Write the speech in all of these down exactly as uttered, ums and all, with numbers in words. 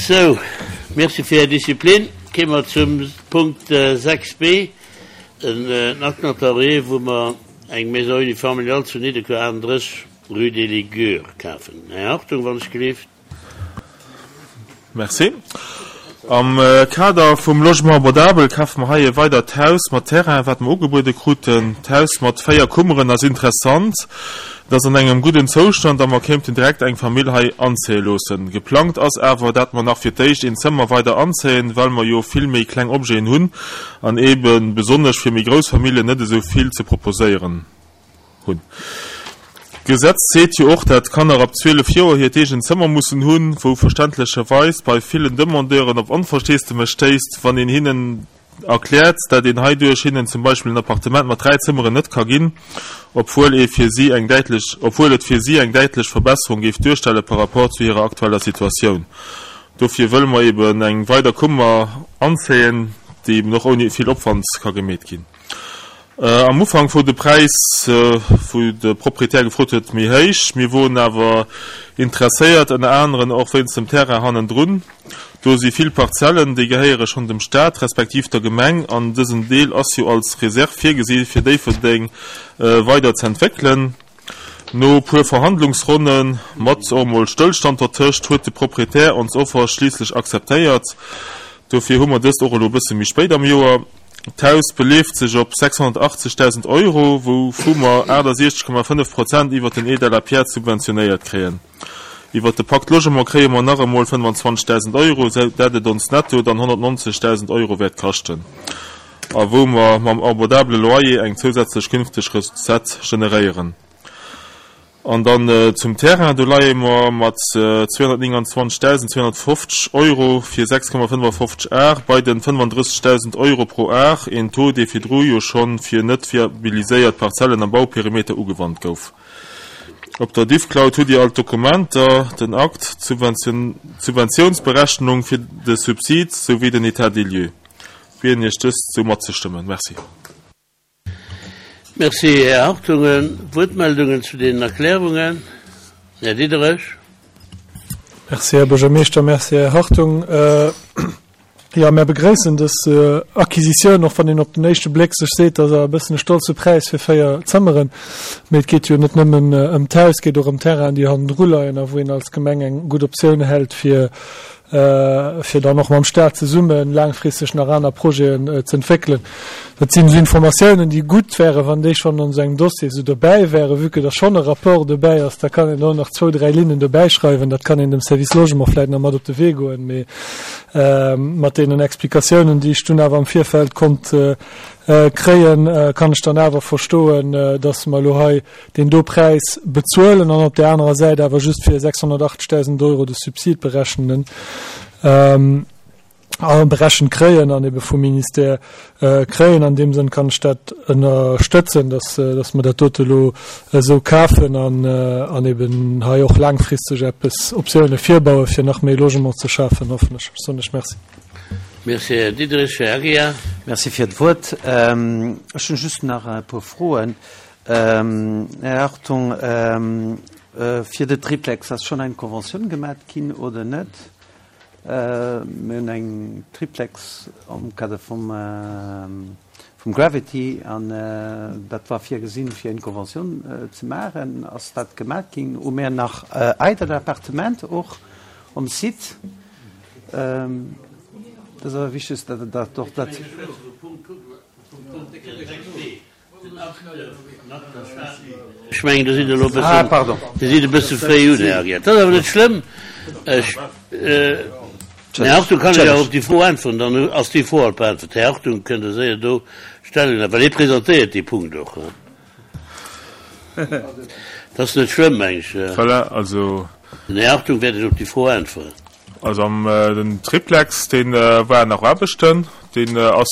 Sou, merci fir Är Disziplin. Kéime mer zum Punkt sechs b, en Acte notarié, wou mer eng Maison unifamiliale zu Nidderkuer, achtunddrësseg, rue des Ligures kafen. Här Hartung, wann ech gelift. Merci. Am Kader vum Logement abordable kafe mer hei e weidert Haus mat Terrain, wat mer ugebuede kruten. D'Haus mat véier Kummeren ass interessant. Et ass an engem gudden Zoustand a mer kéimten direkt eng Famill hei anzéie loossen. Geplangt ass awer, dat mer nach fir d'éischt een Zëmmer weider anzéien, well mer jo vill méi kleng Objeten hunn an eebe besonnesch fir méi grouss Familljen net esou vill ze proposéieren hunn. D'Gesetz seet jo och, dat Kanner ab zwielef Joer hiert eegent Zëmmer mussen hunn, wou verständlecherweis bei villen Demandeuren op Onversteesdemech stéisst, wann een hinnen erkläert, dat een heiduerch hinnen zum Beispill en Appartement mat dräi Zëmmeren net ka ginn, obwuel ee fir si eng däitlech, obwuel et fir si eng däitlech Verbesserung géif duerstelle par rapport zu hirer aktueller Situatioun. Dofir wëlle mer eben eng weider Kummer anzéien, déi eben och ouni vill Opwand ka gemeet ginn. Am Ufank wor de Präis, wou de Proprietär gefrot huet, méi héich. Mir woren awer interesséiert, ënner aneren och wéinst dem Terrain hannendrun. Do si vill Parzellen, déi gehéiere schonn dem Staat respektiv der Gemeng an dësen Deel ass jo als Reserve virgesi fir Déifferdeng weider z'entwéckelen. No puer Verhandlungsronnen, mat och emol Stëllstand dertëscht, huet de Proprietär ons Offer schliisslech akzeptéiert. Dofir hu mer dëst och elo e bësse méi spéit am Joer. D'Haus beleeft sech op sechshonnertachtzegdausend Euro, wouvu mer achtasiechzeg Komma fënnef Prozent iwwer den Aide à la pierre subventionéiert kréien. Iwwer de Pacte Logement kréie mer nach emol fënnefanzwanzegdausend Euro, sou dat et ons netto dann honnertnonzegdausend Euro wäert kaschten a wou mer mam abordabele Loyer eng zousätzlech künfteg Recette generéieren. An dann zum Terrain, do leie mer mat zweehonnertnénganzwanzegdausendzweehonnertfofzeg Euro fir sechs Komma fënnefafofzeg Ar bei den fënnefandrëssegdausend Euro pro Ar, een Taux, dee virdru jo scho fir net viabiliséiert Parzellen am Bauperimeter ugewannt gouf. Op der Diffcloud hutt Dir all d'Dokumenter, den Akt, d'Subventiounsberechnung fir de Subsid souwéi den État des lieux. Bieden Iech dëst sou matzestëmmen. Merci. Merci, Här Hartungen. Wuertmeldungen zu deenen Erklärungen? Här Diderich. Merci, Här Buergermeeschter. Merci, Här Hartung. Jo, mär begréissen dës Acquisitioun, och wann een op den éischte Bléck sech seet, dat ass awer e bëssen e stolze Präis fir véier Zëmmeren. Mee et geet jo net nëmmen ëm d'Haus, et geet och ëm d'Terrainen, déi hannendru leien a wou een als Gemeng eng gutt Optioun hält, fir fir dann och mam Staat zesumme laangfristeg nach aner Projeten ze entwéckelen. Dat sinn esou Informatiounen, déi gutt wären, wann déi schonn an esou engem Dossier esou dobäi wären. Vue que da schonn e Rapport dobäi ass, da kann een do nach zwou, dräi Linnen dobäischreiwen. Dat kann een dem Service Logement vläicht nach mat op de Wee goen. Mee mat deenen Explikatiounen, déi ech dunn awer am Virfeld konnt kréien, kann ech dann awer verstoen, dass mer elo hei deen do Präis bezuelen an op där anerer Säit awer just fir sechshonnertachtzegdausend Euro de Subsid berechnen a berechent kréien an ebe vum Ministère kréien. An deem Sënn kann ech dat ënnerstëtzen, dass, dass mer dat dote elo esou kafen an, an eben hei och laangfristeg eppes Optioune virbaue fir nach méi Logement ze schafen, hoffen ech. Ech soen lech Merci. Merci, Här Diderich. Här Aguiar. Merci fir d'Wuert. Ech hunn just nach e puer Froen. Här Hartung, fir de Triplex, ass schonn eng Conventioun gemat ginn oder net? Mir hunn eng Triplex am Kader vum Gravity an dat war virgesinn, fir eng Conventioun ze maachen. Ass dat gemat ginn? Hu mir nach eidel Appartementer och um Site? Dat ass awer wichteg, datt och dat. Ech mengen, Der sidd elo e bëssen, Der sidd e bësse fréi un, Här Aguiar. Dat ass awer net schlëmm. Ech, Här Hartung, kann ech awer op déi Fro äntweren, dann ass déi Fro alt beäntwert. Här Hartung, kënnt Der séier do Stellung nehmen, well hie presentéiert dee Punkt och. Dat ass net schlëmm, meng ech. Voilà, also. Den Här Hartung wäert Iech op déi Fro äntweren. Also am den Triplex, dee war nach Aarbechten, deen ass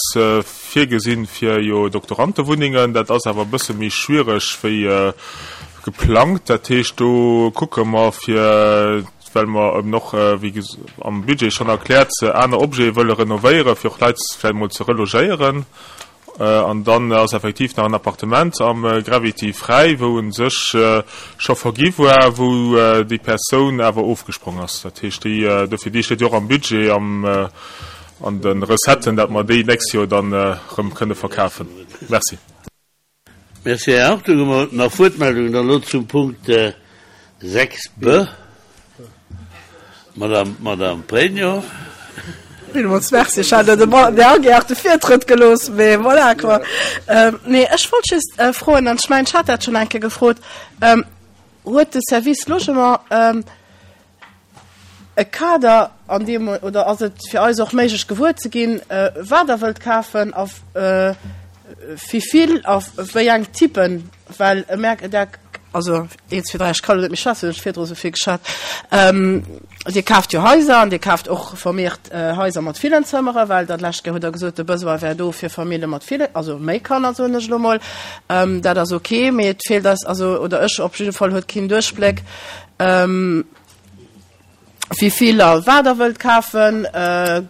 virgesinn fir jo Doktorandewunnengen. Dat ass awer e bësse méi schwiereg wéi geplangt. Dat heescht, do kucke mer fir, well mer eben och, wéi am Budget schonn erkläert, aner Objete wëlle renovéieren, fir och Leit vläicht emol ze relogéieren. An dann ass effektiv nach en Appartement am Gravity fräi, wou u sech scho vergi war, wou déi Persoun awer ofgesprong ass. Dat heescht, déi, dofir, déi steet jo och am Budget, am, an de Recetten, dat mer déi d'nächst Joer dann erëm kënne verkafen. Merci. Merci, Här Hartung. Hu mer nach Wuertmeldungen dann elo zum Punkt sechs b? Madame, Madame Pregno. Villmools merci. Ech hat dem Här Aguiar de Virtrëtt gelooss, mee voilà quoi. Nee, ech wollt just froen, an ech mengen, ech hat dat schonn eng Kéier gefrot, Huet de Service Logement e Kader, an deem, oder ass et fir eis och méiglech gewuer ze ginn, wat Der wëllt kafen a wivill a wéi eng Typen? Well e merkt, der, also een, zwee, dräi, ech ka lo net méi schwätzen, hunn ech virdru sou vill geschwat. Dir kaaft jo Haiser an Dir kaaft och vermehrt Haiser mat villen Zëmmere, well dat lescht Kéier hutt Der gesot, de Besoin wär do fir Famille mat ville, also méi Kanner, soen ech elo mol. Dat ass ok, mee et feelt eis, also, oder ech op jidde Fall huet keen Duerchbléck, Wivill a wat Der wëllt kafen.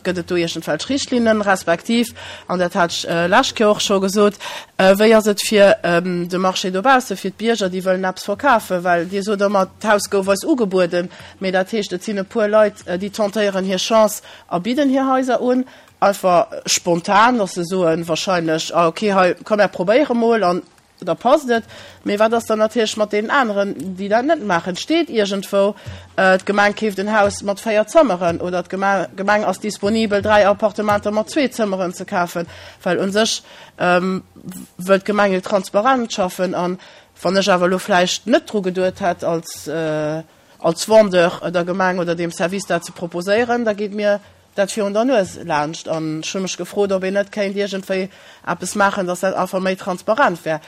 Gëtt et do iergendwelch Richtlinnen, respektiv, an dat hat ech lescht Kéier och scho gesot, wéi ass et fir de Marché dobausse, fir d'Bierger, déi wëllen eppes verkafen? Well Dir sot ëmmer, d'Haus gouf eis ugebueden, mee dat heescht, et sinn e puer Leit, déi tentéieren hir Chance a bidden hir Haiser un, einfach spontan, dass se soen wahrscheinlech, ah okay, hei, komm mär probéiere mol an da passt et. Mee wat ass dann natierlech mat deenen aneren, déi dat net maachen? Steet iergendwou, d'Gemeng keeft en Haus mat véier Zëmmeren oder d'Gemeng ass disponibel, dräi Appartementer mat zwee Zëmmeren ze kafen? Well u sech wëllt d'Gemeng jo transparent schaffen. A wann ech awer elo vläicht net dru geduet hätt, als als Vendeur der Gemeng oder deem Service dat ze proposéieren, da geet mir dat virun der Nues laanscht. An ech hu mech gefrot, ob een net kéint iergendwéi eppes maachen, dass dat einfach méi transparent wär.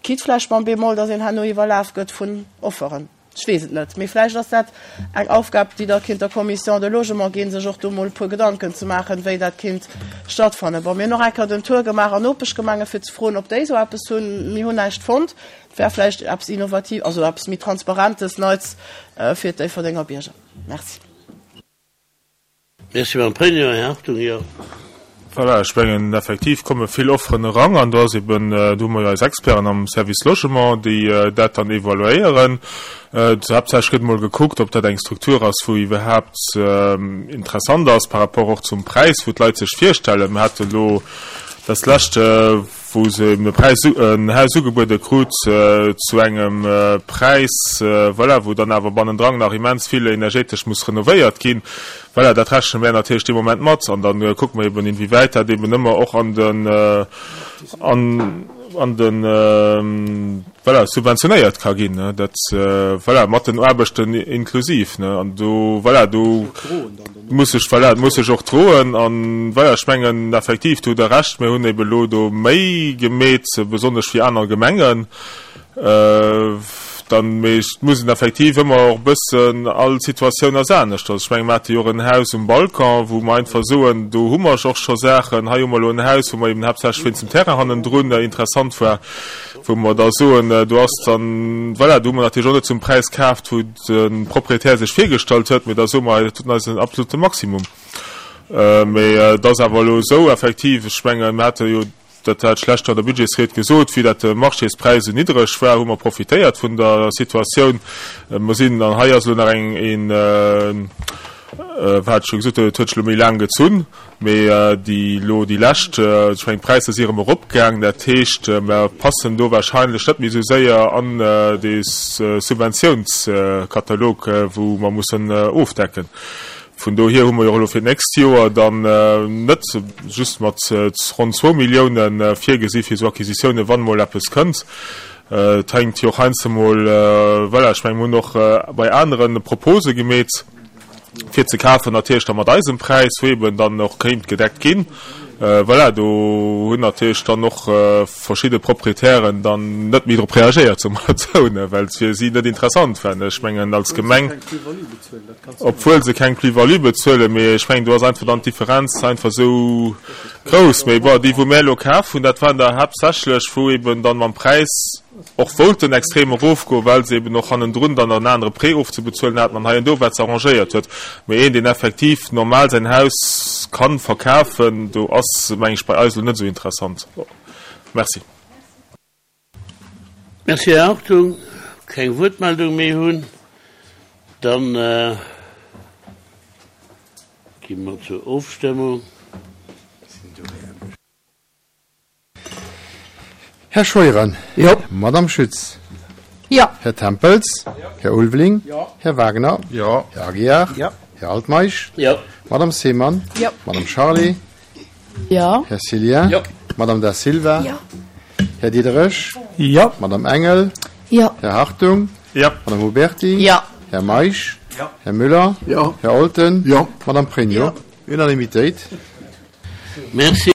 Quitte vläicht mam Bémol, dass een herno iwwerlaf gëtt vun Offeren. Ech weess et net. Mee vläicht ass dat eng Aufgab, déi da kéint der Commission de Logement ginn, sech och do mol e puer Gedanken ze maachen, wéi dat kéint stattfannen. Bon, mir hunn och eng Kéier den Tour gemaach an Nopeschgemenge fir ze froen, ob déi esou eppes hunn. Mir hunn näischt fonnt. Et wär vläicht eppes Innovativ, also eppes méi Transparentes, Neits fir d'Déifferdenger Bierger. Merci. Merci, Madame Pregno. Här Hartung, jo. Voilà, ech mengen, effektiv komme vill Offeren eran an do ass eben, do hu mer jo eis Experten am Service Logement, déi dat dann evaluéieren. Haaptsächlech gëtt emol gekuckt, ob dat eng Struktur ass, wou iwwerhaapt interessant ass par rapport och zum Präis, wou d'Leit sech virstellen. Mir hate elo dat lescht, wou se eben e Präis, en Haus ugebuede krut zu engem Präis, voilà, wou dann awer bannendran nach immens vill energetesch muss renovéiert ginn. Voilà, dat rechne mär natierlech dee Moment mat an da kucke mer eben, inwiewäit dat eben ëmmer och an den, an, an den, voilà, subventionéiert ka ginn, ne, dat, voilà, mat den Aarbechten inklusiv, ne, an do, voilà, do muss sech, voilà, muss sech och droen an, voilà, ech mengen effektiv, do hutt Der Recht, mir hunn eben elo do méi gemeet, besonnesch wéi aner Gemengen, dann, mee et muss een effektiv ëmmer och e bëssen, all Situatioun ass anescht. Also ech menge mer hate jo och en Haus um Balcon, wou mer einfach soen, do hu mer och scho Saachen, hei hu mer elo en Haus, wou mer eben haaptsächlech wéinst dem Terrain hannendrun interessant war, wou mer da soen, do ass dann, voilà, do hu mer natierlech och net zum Präis kaaft, wou de Proprietär sech virgestallt huet, mee da soe mer, dat huet eis en absolute Maximum. Mee et ass awer elo esou effektiv, ech mengen, mer hate jo, dat hat ech d'lescht Joer an der Budgetsried gesot, vue dat de Marchéspräis esou niddreg war, hu mer profitéiert vun der Situatioun. Mer sinn, an hei ass elo nach eng, een, wat ech scho gesot hunn, et huet sech elo méi laang gezunn, mee déi elo déi lescht, ech mengen d'Präisser si erëm eropgaang, dat heescht, mer passen do wahrscheinlech net méi esou séier an dee Subventiounskatalog, wou mer mussen ofdecken. Vun dohier hu mer jo och elo fir d'nächst Joer dann net just mat ronn zwou Milliounen virgesi fir esou Acquisitiounen, wann emol eppes kënnt. Et hänkt jo och heiansdo emol, voilà, ech mengen, mir hunn och bei anere Propose gemeet, fir ze kafen, natierlech da mat eisem Präis, wou eeben dann och kéint gedeckt ginn. Voilà, do hunn natierlech dann och verschidde Proprietären dann net méi drop reagéiert, soe mer et esou, well et fir si net interessant war. Ech mengen als Gemeng, obwuel se keng Plus-value bezuelen, mee ech mengen do ass einfach dann d'Differenz einfach esou grouss. Mee bon, déi wou mär elo kaf hunn, dat waren der haaptsächlech wou eben dann mam Präis och wollten extrem erofgoen, well se eben och hannendrun dann nach en anere Prêt ofzebezuelen haten an hei an do wat se arrangéiert huet. Mee een, deen effektiv normal säin Haus ka verkafen, do ass, meng ech, bei eis elo net esou interessant. Merci. Merci, Här Hartung. Keng Wuertmeldung méi hunn, dann gi mer zur Ofstëmmung. Här Scheuren. Jo. Madame Schütz. Jo. Här Tempels. Jo. Här Ulveling. Jo. Här Wagner. Jo. Här Aguiar. Jo. Här Altmeisch. Jo. Madame Seemann. Jo. Madame Charlé. Jo. Här Cillien. Jo. Madame Da Silva. Jo. Här Diderich. Jo. Madame Engel. Jo. Här Hartung. Jo. Madame Huberty. Jo. Här Meisch. Jo. Här Müller. Jo. Här Olten. Jo. Madame Pregno. Jo. Unanimitéit. Merci.